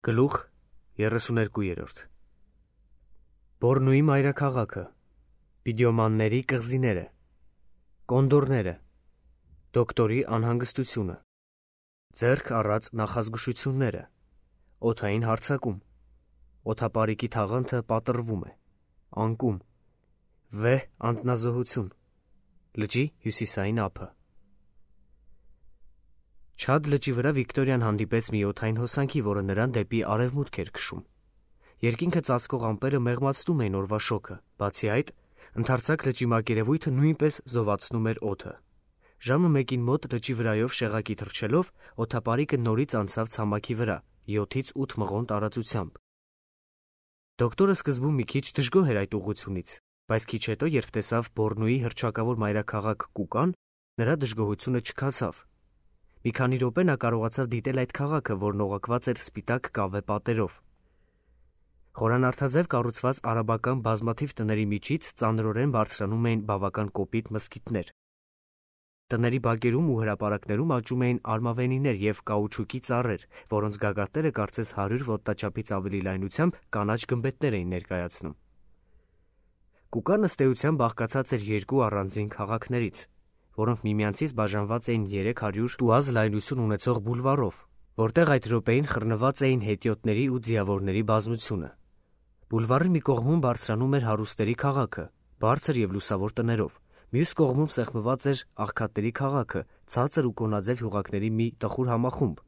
Գլուխ 32 Բորնուի մայրաքաղաքը, Պիդիոմանների կղզիները, Կոնդորները, Դոկտորի անհանգստությունը, ձեռք առած նախազգուշությունները, օդային հարձակում, օդապարիկի թաղանթը պատռվում է, անկում, վեհ անձնազոհություն, լճի հյուսիսային ափը։ Չադ լճի վրա Վիկտորիան հանդիպեց մի օդային հոսանքի, որը նրան դեպի արևմուտք էր քշում։ Երկինքը ծածկող ամպերը մեղմացնում էին օրվա շոգը, բացի այդ, ընդարձակ լճի մակերևույթը նույնպես զովացնում էր օդը։ Ժամը 1-ին մոտ լճի վրայով շեղակի թռչելով, օդապարիկը նորից անցավ ցամաքի վրա, 7-ից 8 մղոն տարածությամբ։ Դոկտորը սկզբում մի քիչ դժգոհ էր այդ ուղղությունից, բայց քիչ հետո, երբ տեսավ Բորնուի հռչակավոր մայրաքաղաք Կուկան, նրա դժգոհությունը չքացավ։ Մի քանի րոպե նա կարողացավ դիտել այդ քաղաքը, որն օղակված էր սպիտակ կավե պատերով։ Խորանարդաձև կառուցված արաբական բազմաթիվ տների միջից ծանրորեն բարձրանում էին բավական կոպիտ մզկիթներ։ Տների բակերում ու հրապարակներում աճում էին արմավենիներ և կաուչուկի ծառեր, որոնց գագաթները կարծես 100 ոտնաչափից ավելի լայնությամբ կանաչ գմբեթներ էին ներկայացնում։ Կուկան ըստ էության բաղկացած էր երկու առանձին քաղաքներից, որոնք միմյանցից բաժանված էին 300 տուազ լայնություն ունեցող բուլվարով, որտեղ այդ րոպեին խռնված էին հետիոտների ու ձիավորների բազմությունը։ Բուլվարի մի կողմում բարձրանում էր հարուստերի քաղաքը, բարձր և լուսավոր տներով, մյուս կողմում սեղմված էր աղքատների քաղաքը, ցածր ու կոնաձև հյուղակների մի տխուր համախումբ։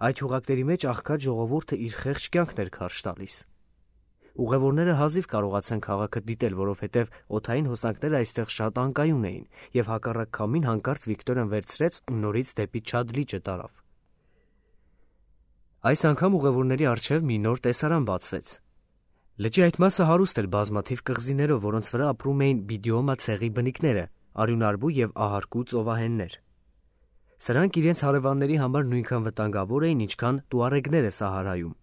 Այդ հյուղակների մեջ աղքատ ժողովուրդը իր խեղճ կյանքն էր քարշ տալիս։ Ուղևորները հազիվ կարողացան քաղաքը դիտել, որովհետև օդային հոսանքները այստեղ շատ անկայուն էին, և հակառակ քամին հանկարծ Վիկտորիան վերցրեց ու նորից դեպի Չադ լիճը տարավ։ Այս անգամ ուղևորների առջև մի նոր տեսարան բացվեց։ Լճի այդ մասը հարուստ էր բազմաթիվ կղզիներով, որոնց վրա ապրում էին բիդիոմա ցեղի բնիկները, արյունարբու և ահարկու ծովահեններ։ Սրանք իրենց հարևանների համար նույնքան վտանգավոր էին, ինչքան տուարեգները Սահարայում։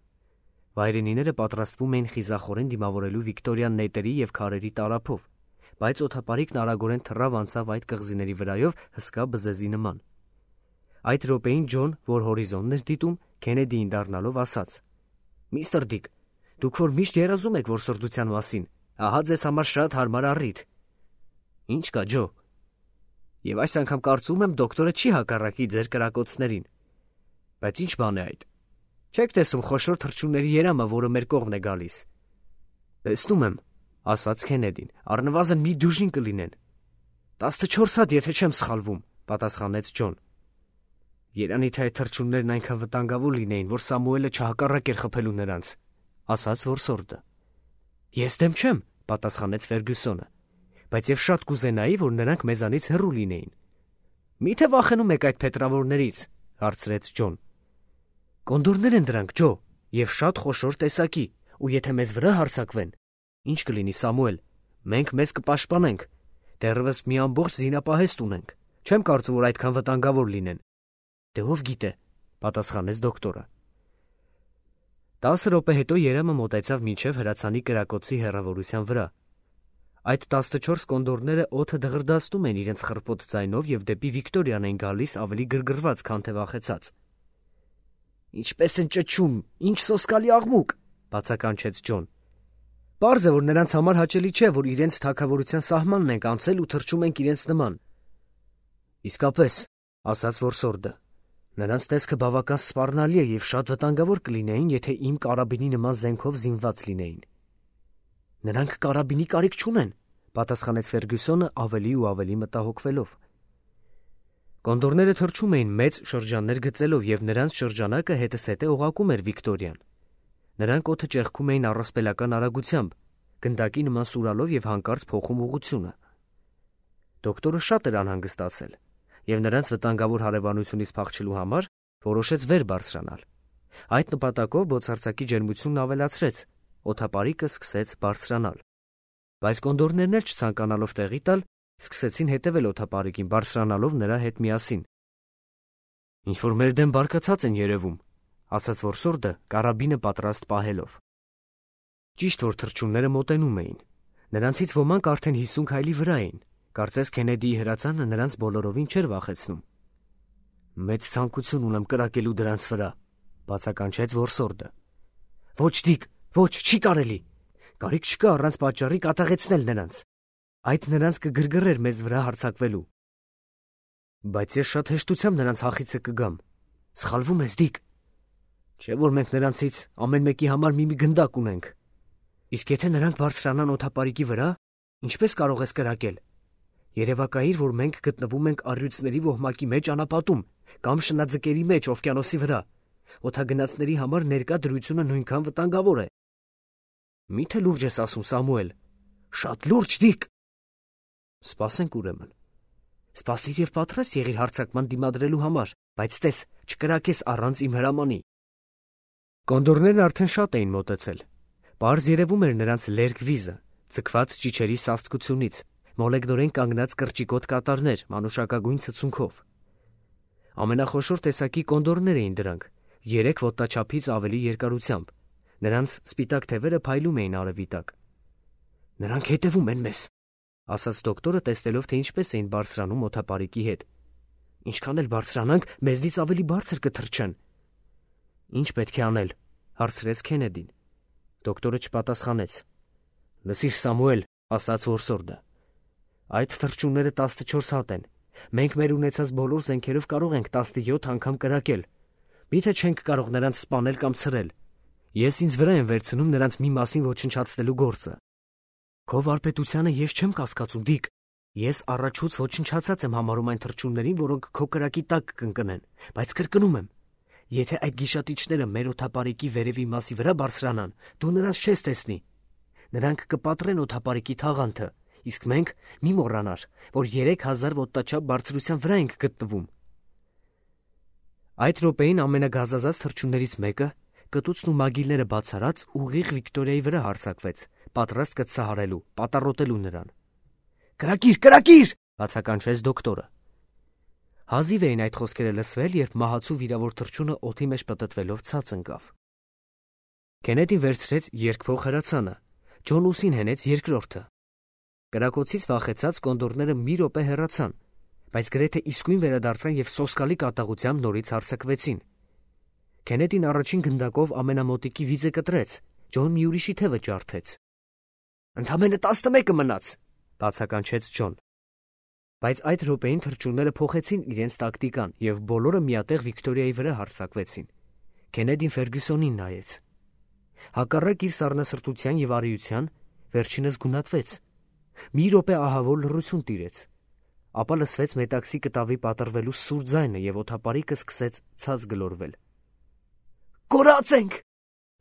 Վայրենիները պատրաստվում էին խիզախորեն դիմավորելու Վիկտորիան նետերի և քարերի տարափով, բայց օդապարիկն արագորեն թռավ անցավ այդ կղզիների վրայով հսկա բզեզի նման։ Այդ րոպեին Ջոն, որ հորիզոնն էր դիտում, Քենեդիին դառնալով ասաց. «Միստր Դիկ, դուք որ միշտ երազում եք որսորդության մասին, ահա ձեզ համար շատ հարմար առիթ»։ «Ինչ կա, Ջո»։ «Եվ այս անգամ կարծում եմ դոկտորը չի հակառակի ձեր կրակոցներին»։ «Բայց ինչ բան է այդ»։ «Չեք տեսում խոշոր թռչունների երամը, որը մեր կողմն է գալիս»։ «Տեսնում եմ», ասաց Քենեդին, «առնվազն մի դյուժին կլինեն»։ 14 հատ, եթե չեմ սխալվում, պատասխանեց Ջոն։ «Երանի թե այդ թռչուններն այնքան վտանգավոր լինեին, որ Սամուելը չհակառակեր խփելու նրանց», ասաց որսորդը։ «Ես դեմ չեմ», պատասխանեց Ֆերգյուսոնը, «բայց և շատ կուզենայի, որ նրանք մեզանից հեռու լինեին»։ «Մի՞թե վախենում եք այդ փետրավորներից», հարցրեց Ջոն։ «Կոնդորներ են դրանք, Ջո, և շատ խոշոր տեսակի, ու եթե մեզ վրա հարձակվեն, ինչ կլինի, Սամուել, մենք մեզ կպաշտպանենք, դեռևս մի ամբողջ զինապահեստ ունենք, չեմ կարծում, որ այդքան վտանգավոր լինեն»։ «Դե ով գիտե», պատասխանեց դոկտորը։ 10 րոպե հետո երամը մոտեցավ մինչև հրացանի կրակոցի հեռավորության վրա։ Այդ 14 կոնդորները օդը դղրդացնում են իրենց խռպոտ ձայնով և դեպի Վիկտորիան են գալիս ավելի գրգռված, քան թե վախեցած։ «Ինչպես են ճչում, ինչ սոսկալի աղմուկ», բացականչեց Ջոն։ «Պարզ է, որ նրանց համար հաճելի չէ, որ իրենց թագավորության սահմանն ենք անցել ու թռչում ենք իրենց նման»։ «Իսկապես», ասաց որսորդը, «նրանց տեսքը բավական սպառնալի է և շատ վտանգավոր կլինեին, եթե իմ կարաբինի նման զենքով զինված լինեին»։ «Նրանք կարաբինի կարիք չունեն», պատասխանեց Ֆերգյուսոնը ավելի ու ավելի մտահոգվելով։ Կոնդորները թռչում էին մեծ շրջաններ գծելով, և նրանց շրջանակը հետզհետե օղակում էր Վիկտորիան։ Նրանք օդը ճեղքում էին առասպելական արագությամբ, գնդակի նման սուրալով և հանկարծ փոխում ուղղությունը։ Դոկտորը շատ էր անհանգստացել, և նրանց վտանգավոր հարևանությունից փախչելու համար որոշեց վեր բարձրանալ։ Այդ նպատակով բոցարձակի ջերմությունն ավելացրեց, օդապարիկը սկսեց բարձրանալ։ Բայց կոնդորներն էլ չցանկանալով տեղի տալ, սկսեցին հետևել օդապարիկին, բարձրանալով նրա հետ միասին։ «Ինչ-որ մեր դեմ բարկացած են երևում», ասաց որսորդը, կարաբինը պատրաստ պահելով։ Ճիշտ որ թռչունները մոտենում էին։ Նրանցից ոմանք արդեն 50 քայլի վրա էին։ Կարծես Քենեդիի հրացանը նրանց բոլորովին չէր վախեցնում։ «Մեծ ցանկություն ունեմ կրակելու դրանց վրա», բացականչեց որսորդը։ Ոչ Դիկ, ոչ, չի կարելի։ Կարիք չկա առանց պատճառի կատաղեցնել նրանց։ Այդ նրանց կգրգռեր մեզ վրա հարձակվելու։ Բայց ես շատ հեշտությամբ նրանց հախիցը կգամ։ Սխալվում ես, Դիկ։ Չէ՞ որ մենք նրանցից ամեն մեկի համար մի գնդակ ունենք։ Իսկ եթե նրանք բարձրանան օդապարիկի վրա, ինչպես կարող ես կրակել։ Երևակայիր, որ մենք գտնվում ենք առյուծների ոհմակի մեջ անապատում կամ շնաձկերի մեջ օվկիանոսի վրա։ Օդագնացների համար ներկա դրությունը նույնքան վտանգավոր է։ Մի՞թե լուրջ ես ասում, Սամուել։ Շատ լուրջ, Դիկ։ Սպասենք ուրեմն։ Սպասիր եւ պատրաստ եղիր հարձակման դիմադրելու համար, բայց տես, չկրակես առանց իմ հրամանի։ Կոնդորներն արդեն շատ էին մոտեցել։ Պարզ երևում էր նրանց լերկ վիզը, ձգված ճիչերի սաստկությունից, մոլեգնորեն կանգնած կրճիկոտ կատարներ մանուշակագույն ցցունքով։ Ամենախոշոր տեսակի կոնդորներ էին դրանք, 3 ոտնաչափից ավելի երկարությամբ։ Նրանց սպիտակ թևերը փայլում էին արևի տակ։ Նրանք հետևում են մեզ, ասաց դոկտորը, տեսնելով, թե ինչպես էին բարձրանում օդապարիկի հետ։ Ինչքան էլ բարձրանանք, մեզնից ավելի բարձր կթռչեն։ Ինչ պետք է անել, հարցրեց Քենեդին։ Դոկտորը չպատասխանեց։ Լսիր, Սամուել, ասաց որսորդը։ Այդ թռչունները 14 հատ են։ Մենք մեր ունեցած բոլոր զենքերով կարող ենք 17 անգամ կրակել։ Միթե չենք կարող նրանց սպանել կամ ցրել։ Ես ինձ վրա եմ վերցնում նրանց մի մասին ոչնչացնելու գործը։ Քո վարպետությանը ես չեմ կասկածում, Դիկ։ Ես առաջուց ոչնչացած եմ համարում այն թռչուններին, որոնք քո կրակի տակ կընկնեն, բայց կրկնում եմ, եթե այդ գիշատիչները մեր օդապարիկի վերևի մասի վրա բարձրանան, դու նրանց չես տեսնի։ Նրանք կպատրեն օդապարիկի թաղանթը, իսկ մենք մի մոռանար, որ 3000 ոտնաչափ բարձրության վրա ենք գտնվում։ Այդ րոպեին ամենագազազած թռչուններից մեկը, կտուցն ու մագիլները բացարած, ուղիղ Վիկտորիայի վրա հարձակվեց, պատրաստ կծահարելու, պատառոտելու նրան։ Կրակիր, կրակիր, բացականչեց դոկտորը։ Հազիվ էին այդ խոսքերը լսվել, երբ մահացու վիրավոր թռչունը օդի մեջ պտտվելով ցած ընկավ։ Քենեդին վերցրեց երկվող հրացանը, Ջոն ուսին հենեց երկրորդը։ Կրակոցից վախեցած կոնդորները մի րոպե հեռացան, բայց գրեթե իսկույն վերադարձան եւ սոսկալի կատաղությամբ նորից հարձակվեցին։ Քենեդին առաջին գնդակով ամենամոտիկի վիզը կտրեց, Ջոն մի ուրիշի թևը ջարդեց։ Ընդամենը 11-ը մնաց, բացականչեց Ջոն։ Բայց այդ րոպեին թռչունները փոխեցին իրենց տակտիկան եւ բոլորը միատեղ Վիկտորիայի վրա հարձակվեցին։ Քենեդին Ֆերգյուսոնին նայեց։ Հակառակ իր սառնասրտության եւ արիության, վերջինս գունատվեց։ Մի րոպե ահավոր լռություն տիրեց։ Ապա լսվեց մետաքսի կտավի պատռվելու սուր ձայնը եւ օդապարիկը սկսեց ցած գլորվել։ Կորած ենք,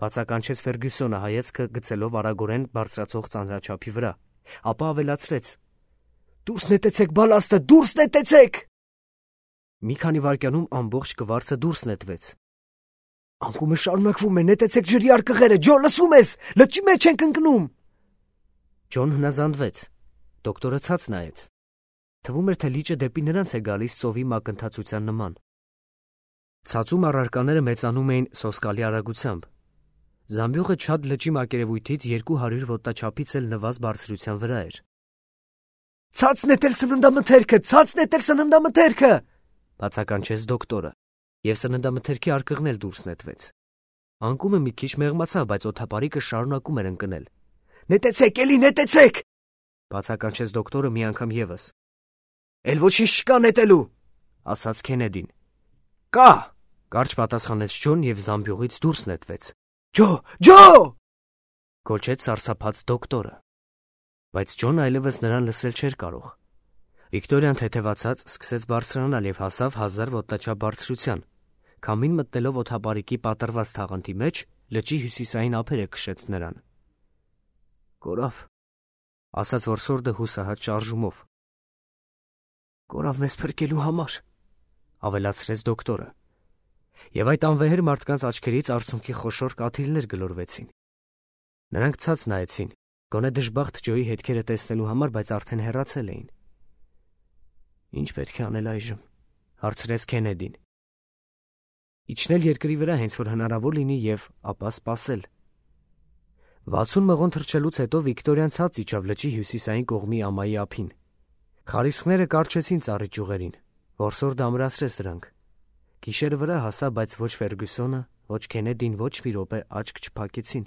բացականչեց Ֆերգյուսոնը հայացքը գցելով արագորեն բարձրացող ծանրաչափի վրա, ապա ավելացրեց. Դուրս նետեցեք բալաստը, դուրս նետեցեք։ Մի քանի վայրկյանում ամբողջ կվարձը դուրս նետվեց։ Անկումը շարունակվում է, նետեցեք ջրի արկղերը, Ջո, լսում ես, լճի մեջ ենք ընկնում։ Ջոն հնազանդվեց։ Դոկտորը ցած նայեց։ Թվում էր, թե լիճը դեպի նրանց է գալիս ծովի մակընթացության նման։ Ցածում առարկաները մեծանում էին սոսկալի արագությամբ։ Զամբյուղը Չադ լճի մակերևույթից 200 ոտնաչափից էլ նվազ բարձրության վրա էր։ Ցած նետել սննդամթերքը, ցած նետել սննդամթերքը, բացականչեց դոկտորը, եւ սննդամթերքի արկղն էլ դուրս նետվեց։ Անկումը մի քիչ մեղմացավ, բայց օդապարիկը շարունակում էր ընկնել։ Նետեցեք, էլի նետեցեք, բացականչեց դոկտորը մի անգամ եւս։ Էլ ոչինչ չկա նետելու, ասաց Քենեդին։ Կա, կարճ պատասխանեց Ջոն եւ զամբյուղից դուրս նետվեց։ Ջո, Ջո! Գոչեց սարսափած դոկտորը։ Բայց Ջոնը այլևս նրան լսել չէր կարող։ Վիկտորիան թեթևացած սկսեց բարձրանալ եւ հասավ 1000 ոտնաչափ բարձրության։ Քամին մտնելով օդապարիկի պատռված թաղանթի մեջ, լճի հյուսիսային ափերը քշեց նրան։ Կորավ, ասաց որսորդը հուսահատ շարժումով։ Կորավ մեզ փրկելու համար, ավելացրեց դոկտորը։ Եվ այդ անվեհեր մարդկանց աչքերից արցունքի խոշոր կաթիլներ գլորվեցին։ Նրանք ցած նայեցին, գոնե դժբախտ Ջոյի հետքերը տեսնելու համար, բայց արդեն հեռացել էին։ Ինչ պետք է անել այժմ, հարցրեց Քենեդին։ Իջնել երկրի վրա հենց որ հնարավոր լինի եւ ապա սպասել։ 60 մղոն թռչելուց հետո Վիկտորիան ցած իջավ լճի հյուսիսային կողմի ամայի ափին։ Խարիսխները կարճեցին ծառի ճյուղերին, որսորդը ամրացրեց դրանք։ Գիշերը վրա հասա, բայց ոչ Ֆերգյուսոնը, Ոչ Քենեդին, ոչ մի րոպե աչք չփակեցին։